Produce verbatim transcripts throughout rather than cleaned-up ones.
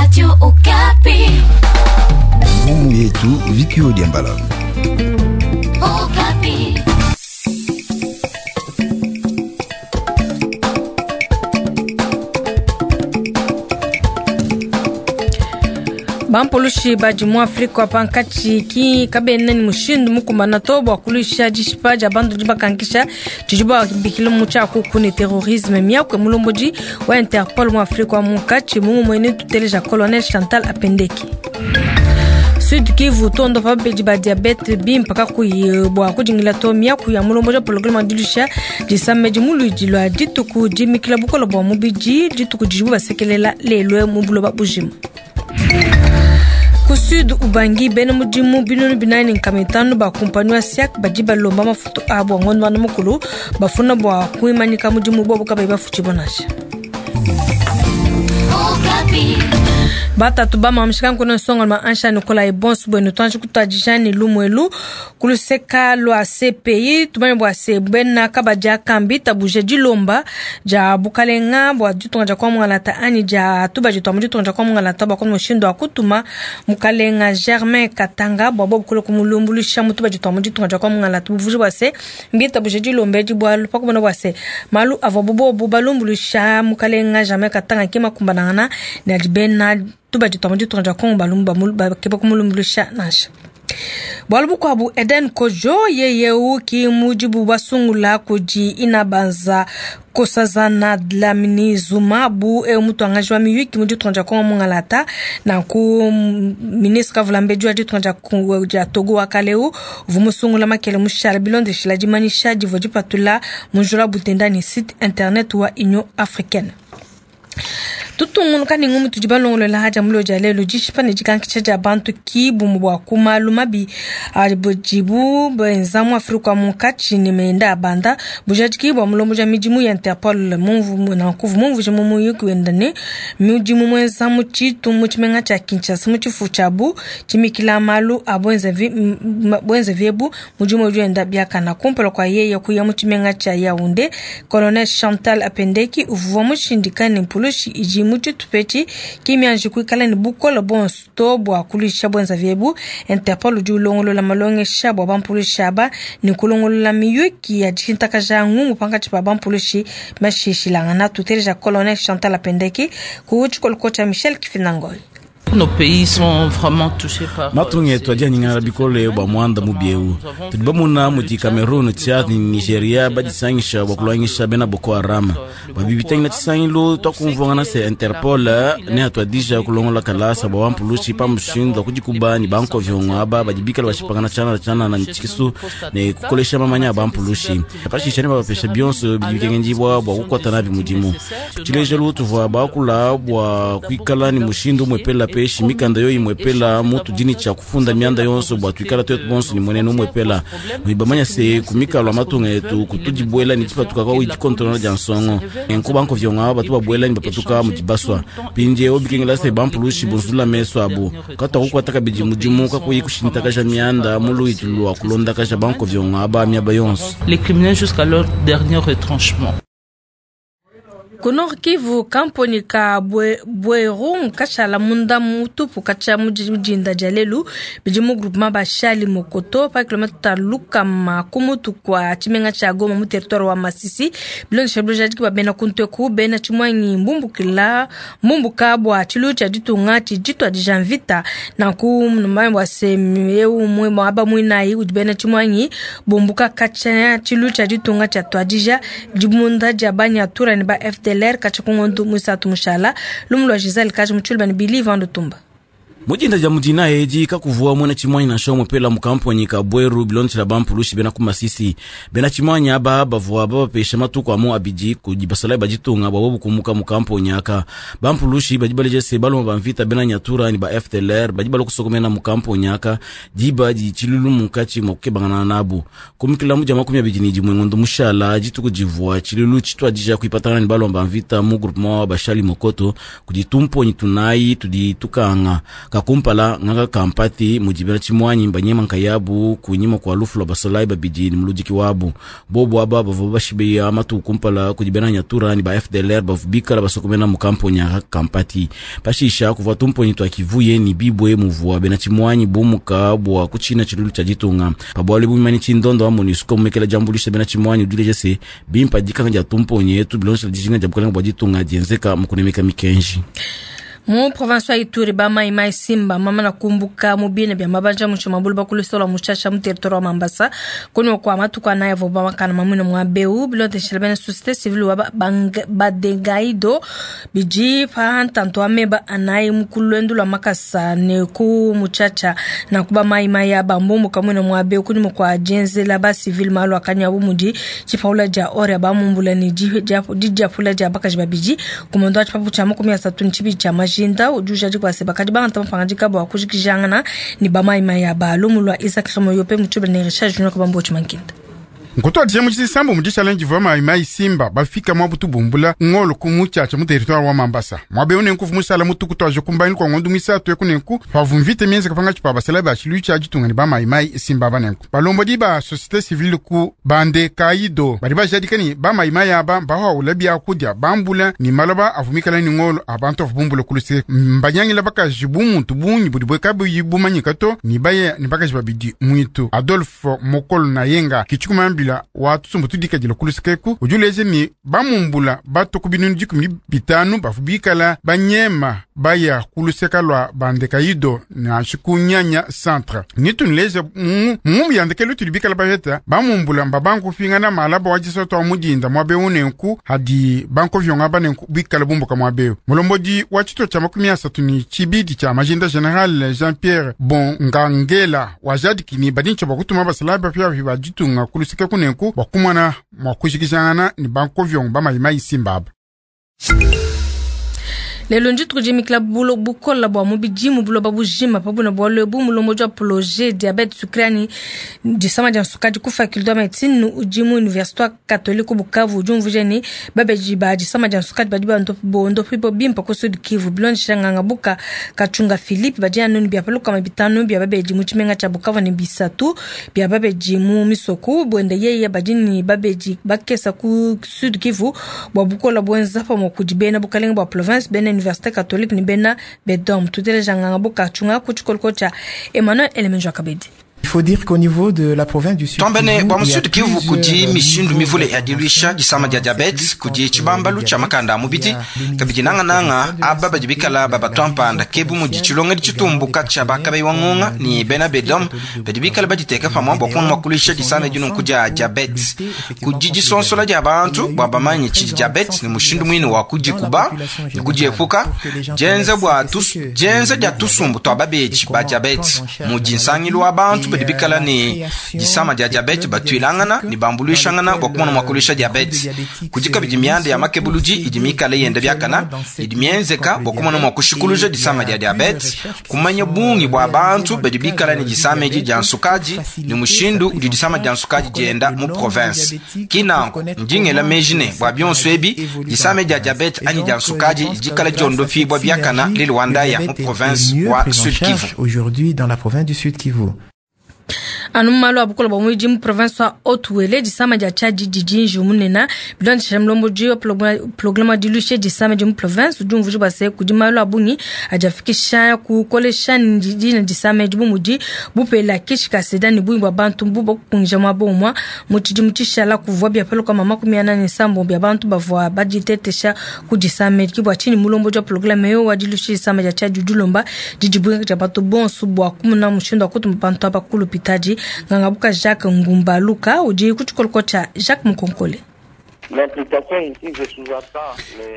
Radio Okapi. Ngumu yetu Vikio Diambala. Okapi. Bampulushi badi mu Afrika pankatshi ki kabena ni mushindu mukumbana to bua kuluisha dishipa dia bantu didi bakankisha tshidi babikila mu tshiakuku ne terrorisme. Miaku ya mulombodi wa Interpol mu Afrika wa munkatshi mungumuene tuteleja Colonel Chantal Apendeki. Sud Kivu tondo pa babedi ba diabete bimpa kakuyi bua kudingila to miaku ya mulombodi wa programa wa dilusha disamba di muluidi lua dituku dimikila bukole bua mubidi dituku didibu basekelela lelo mu buloba bujima. Ku Sud Ubangi bena mudimu binunu binayi ne nkama itanu ba kumpani wa SIAC badi balomba mafutu abu a ngondo wa mukulu bafuna bua kuimanyika mudimu bobu kabayi bafutshibua nansha. Okapi. Batatu bamamishika nkuna nsonga lwa ansha Nikolai bonso bwenu twanji kutwadija ni lumwelu kuluseka lwa C P I tumanye bua se bena kabadi akambi tabuje dilomba dia bukalenga bua ditunga dia kwa mungalata anyi dia tubadi twa mu ditunga dia kwa mungalata bua kono mushindu wa kutuma mukalenga Germain Katanga bua bobu kule kumulumbuluisha mu tubadi twa mu ditunga dia kwa mungalata buvuji bua se mbi tabuje dilomba edi bualu pakumona bua se malu avua bobu balumbuluisha mukalenga Germain Katanga ki makumbanangana ne adi bena tubadi twa mu ditunga dia Kongo balumba bakeba kumulumbuluisha nansha. Bualu bukuabu Eden Kojo yeyeu ki mudibu basungula kudi inabanza Nkosazana Dlamini Zuma bu eu mutuangaji wa miyuki mu ditunga dia Kongo mungalata nanku ministre kavulambedi wa ditunga dia Kongo dia Togo wa kaleu uvua musungula makele mushala bilondeshila dimanyisha divua dipatula mu njila butenda ne site internet wa Union Africaine. Tutungunuka ne ngumu tudi balongolola haja mulo dia lelo dishipa ne dikankisha dia bantu ki bumu bua ku malu mabi adibu benza mu Afrika munkatshi ne menda a banda bujadiki bua mulombo dia midimu ya Interpol mumvu nankuvu mumvuja mu muyuki wenda ne mudimu muenza mu tshitu mu tshimenga tshia Kinshasa mu tshifu tshiabu tshimikila malu a bwenzevi ebu mudimu udi wenda biakana kumpala kua yeye kuya mu tshimenga tshia Yaounde. Colonel Chantal Apendeki uvua mushindika ne mpulushi idi mu tshitupa ki mianji kuikala ne bukole bonso to bua kuluisha bwenzavi ebu. Interpol udi ulongolola malongesha bua bampulushi aba ne kulongolola miyuki ya dishintakaja ngumu pankatshi pa bampulushi bashishilangana. Tuteleja Colonel Chantal Apendeki ku tshikoloko tshia Michel Kifinangol. Nos pays sont vraiment touchés par matunga etu adi anyingana bikole bua muanda mubi eu tudi bamuna mudi Cameroon, Tchad ne Nigeria badisangisha bua kulwangisha bena Boko Haram. Bua bibitangila tshisangilu twakumvuangana se Interpol ne atuadija kulongola kalasa bua bampulushi pa mushindu wa kudikuba ne bankoviongo aba badi bikala bashipangana tshianana tshianana ne tshikisu ne kukolesha mamanya a bampulushi. Pashisha ne babapesha bionso bidi bikengendibua bua kukuata nabi mudimu. Tshilejelu tuvua bakula bua kuikala ne mushindu umuepela pe mikanda yo imwepela mutu dini tshia kufunda mianda yonso bua tuikala twetu bonso ni mwenene umwepela mwibamanya se kumikalo amatunga etu kutudibuela ni tshipatuka kwa dikontrola dia nsongo enko banko vyonga batu babuela ni bapatuka mu dibaswa pindiewu bikengela se bampulushi bonzula meso abu katwa kukwata kabidi mudimu kakuyi kushintakaja mianda mu luitu lua kulondakaja banko vyonga aba miaba yonso. Les criminels jusqu'à leur dernier retranchement. Ku Nord Kivu kamponi ka Bweru nkashala munda mutupu katshia mu dinda dia lelu bidi mu groupement Bashali Mokoto pa kilomètre lukama ku mutu kua tshimenga tshia Goma mu territoire wa Masisi. Bilondesha bilojadiki ba bena kunteku bena tshimwanyi mbumbukila mbumbuka bua tshilu tshia ditunga tshidi mvita nanku numanye bua se eu umue muaba muinayi udi bena tshimwanyi bumbuka katshia tshilu tshia ditunga tshia tuadija dibunda dia banyatura ne ba F D L R katshia ku ngondu muisatu mushala lumu lua Giselle kaji mutshulu bani Bili Vandu Tumba. Mujinda ja mudina edi kakuvua mwena chimwanyi na shomo pela mukamponyi ka Bweru bilonchela bampulushi bena kumasisi bena chimwanyi aba bavua babapesha matuku amu abidi kudibasala bajitunga bwa bobu kumuka mukamponyi aka bampulushi bajibaleje se baloma bamvita bena nyatura ni ba F D L R bajibala kusokomena mukamponyi aka diba di chilulu mukachi mwa kukebangana nabu kumikila muja makumi abidi ni dimwe ngondo mushala jituku jivua chilulu chitwadija kuipatana ni baloma bamvita mu groupement Bashali Mokoto kuditumponyi tunayi tuditukanga Kakumpala ngaka kampati mudi bena tshimuanyi banyema nkayabu kunyima kua lufu lua basolayi babidi ne muludiki wabu. Bobu aba bavua bashibeya matuku kumpala kudi bena Nyatura ne ba F D L R bavua bikala basokomena mu kamponya kampati. Pashisha kuvua tumponyi twa kivuye ni bibwe muvua bena tshimuanyi bumuka bua kutshina tshilulu tshia ditunga. Pabwali bumani tshindondo wa MONUSCO mumekela jambulisha bena tshimuanyi udileje se bimpa dikanga dia tumponyi etu bilongesha dijinga dia bukalenga bua ditunga dienzeka mu kunemeka mikenji. Mu province ya Ituri ba mai mai Simba mama na kumbuka mubine bya mabanja mu mabulu bakulisola muchasha mu territoire wa Mambasa kono kwa matuka naye voba makana mamuna mwa beu bilote shelbene société civile wa badengaido biji pa ntanto ameba anaye mukulwendu lwa makasa ne ku muchacha na kuba mai mai ya bambumbu kamuna mwa beu kuni mwa jenzela ba civile malu akanya bumudi chipaula ja ore ba mumbula ni jija pula ja bakaji babiji kumondo achipapu cha makumi asatu nchibi cha maji nda ujuja jikwa seba kadi banga tamapanga jikabo akujikijangana ni bamai maya ba lumulwa Isaac Remoyope mutube ne Richard Junior kabambo chimankinda. Nkuto adisha muchisambo mu challenge vwa mai mai Simba bafika mwa butubumbula ngolo kumuchacha mu territoire wa Mambasa. Mwabe une nkufu musala mutuku twaje kumbaini kwa ngondu misatu ekunenku pavumvite mienze kapanga chipa basala ba chilucha ajitunga ni ba mai mai Simba banenku. Balombo di ba société civile ku bande kaido bari bajadikani ba mai mai aba bawa ulabia kudya bambula ni malaba avumikala ni ngolo abantu avubumbula kuluse mbanyangila bakajibu muntu bunyi budi bwekabu yibumanyika ni baye ni bakaji babidi mwitu Adolphe Mokolo na yenga kichukuma bila watu sumbu tudika jila kulusekeku ujuleze ni bamumbula bato kubinunu jikumi bitanu bafubikala banyema baya kuluseka lwa bandekaido na shikunyanya centre nitunileze mungu yandekelu tulibikala baheta bamumbula mbabangu fingana malaba wajisoto wa mudinda mwabe unenku hadi banko vyonga banenku bikala bumbuka mwabe mulombodi wa chito cha makumi asatu ni chibidi cha majinda general Jean-Pierre Bongangela wajadikini badincho bakutuma basalaba pya bibajitunga kuluseka kunenku bakumwana mwakushikishana ni banko vyonga bamayimayi Simbaba. Lelo njitu kujimikila bulo bukola bwa mubijimu bulo babujima pabuna bwa lebu mulombo jwa projet diabète sucré disama dia sukadi ku faculté de médecine ujimu université catholique Bukavu ujumvuje ni babeji ba disama dia sukadi badi ba ndo pipo bimpa ko Sud Kivu bilonde shanganga buka kachunga Philippe badi anoni bya paluka mabitano bya babeji mu chimenga cha Bukavu ni bisatu bya babeji mu misoku bwende yeye badi ni babeji bakesa ku Sud Kivu bwa bukola bwenza pa mokudibena bukalenga bwa province bene Université catholique ni bena bedom tutele janganga buka chunga kuchikolko cha Emmanuel Elemenjo Kabedi. Il faut dire qu'au niveau de la province du Sud Twambene bwa Sud Kivu kudi mishindu mivule ya diluisha disama dia diabete kudi chibambalu cha makanda mubidi kabidi nanga nanga aba badibikala baba twampanda kebu mudi chilonga dichitumbuka cha bakabe wangonga ni bena bedom badibikala baditeka pamwa bwa kunwa kulisha disama dinu kudia diabete kudi disonsola dia bantu bwa bamanyi chidi diabete ni mushindu mwini wa kudikuba ni kudiepuka jenza bwa tus jenza dia tusumbu twa babeji ba diabete mudi nsangilu wa bantu bikala ni disama dia diabete batwilangana ni bambulishangana bwa kumona mwakulisha diabete kudika bidi myanda ya makebuluji idi mikala yenda byakana idi myenzeka bwa kumona mwakushikuluja disama dia diabete kumanya bungi bwa bantu badi bikala ni disama edi dia nsukaji ni mushindu udi disama dia nsukaji dienda mu province kinanko ndingela mejine bwa byonso ebi disama dia diabete ani dia nsukaji dikala diondofi bwa byakana lilwandaya mu province wa Sud Kivu. Aujourd'hui dans la province du Sud Kivu. Anu malu abukola bwa mwiji mu province wa Haut-Uele disama dia chaji dijinji munena bilonde shamlombo jiyo programa dilushe disama di mu province ujumvuji base kudi malu abungi ajafikisha kukolesha ndina disama di bumudi bupela kishika seda ni bungi bwa bantu mbubo kungija mwa bomwa mutidi mutishala kuvwa bya pelo kama makumi anane sambo bya bantu bavwa bajitetesha kudisama kibwa chini mulombo jwa programa yo wa dilushe disama dia chaji dulomba didibungi ja bantu bonso bwa kumuna mushindo akutu bantu abakulu pitaji ngangabuka Jacques Ngumbaluka udi kuchikoloko cha Jacques Mukonkole.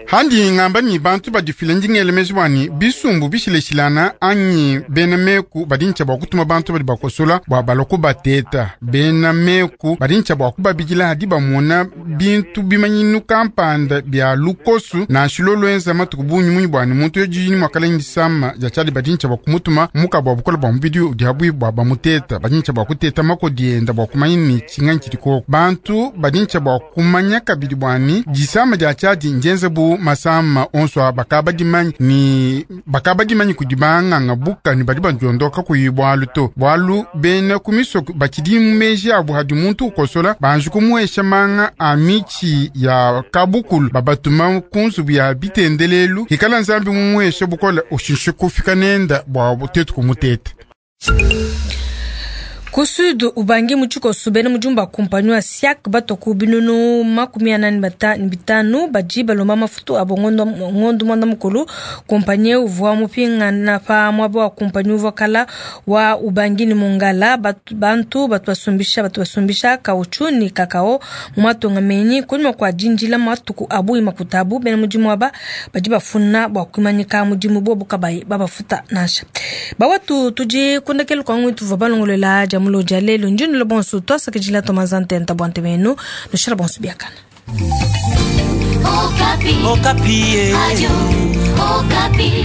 Handi ngamba ni bantu badifile ndingele mezwani bisumbu bishileshilana anyi bena meku badincha bwa kutuma bantu badi bakosola bwa baloko bateta bena meku badincha bwa kubabijila hadi bamona bintu bimanyinu kampanda bya lukosu na shilolo enza matuku bunyi munyi bwani muntu yojini mwakala ndisama jachali badincha bwa kumutuma muka bwa bukola bwa mubidi udihabwi bwa bamuteta badincha bwa kuteta makodienda bwa kumanya ni chinganyi chiliko bantu badincha bwa kumanya kabidi bwani disama dia Tchad njenze bu masama onso a bakaba dimanyi ni bakaba dimanyi kudi banganga buka ni badi bandiondoka kuyi bwalu to bwalu bena kumiso bakidi mumeji abu hadi muntu ukosola banji kumuhesha manga a michi ya kabukulu babatuma kunzubu ya bitendelelu hikala nzambi mumuhesha bukola ushinshe kufika nenda bwa tetu kumutete. Ku sud ubangi mutshikoso bena mujumba kumpanyi wa siak batoku binunu makumi anani bata- bitanu badi balomba mafutu abo ngondo ngondo mwanda mukulu. Kumpanyi uvua mupingana pa mwaba wa kumpanyi uvua kala wa ubangi ni mungala batu, bantu batu basumbisha batu basumbisha kauchu ni kakao mu matonga menyi kunyuma kwa dinjila matuku abu imakutabu bena mudimu aba badi bafuna bua kuimanyika mudimu bobu kabayi babafuta nansha. Bawatu tudi kundekelu kwa ngwitu tuvua balongolela dia muloja lelo njinula bonso twasakidila tomazantenta bwante benu nushala bonso biakana. Okapi. Okapi. Radio Okapi.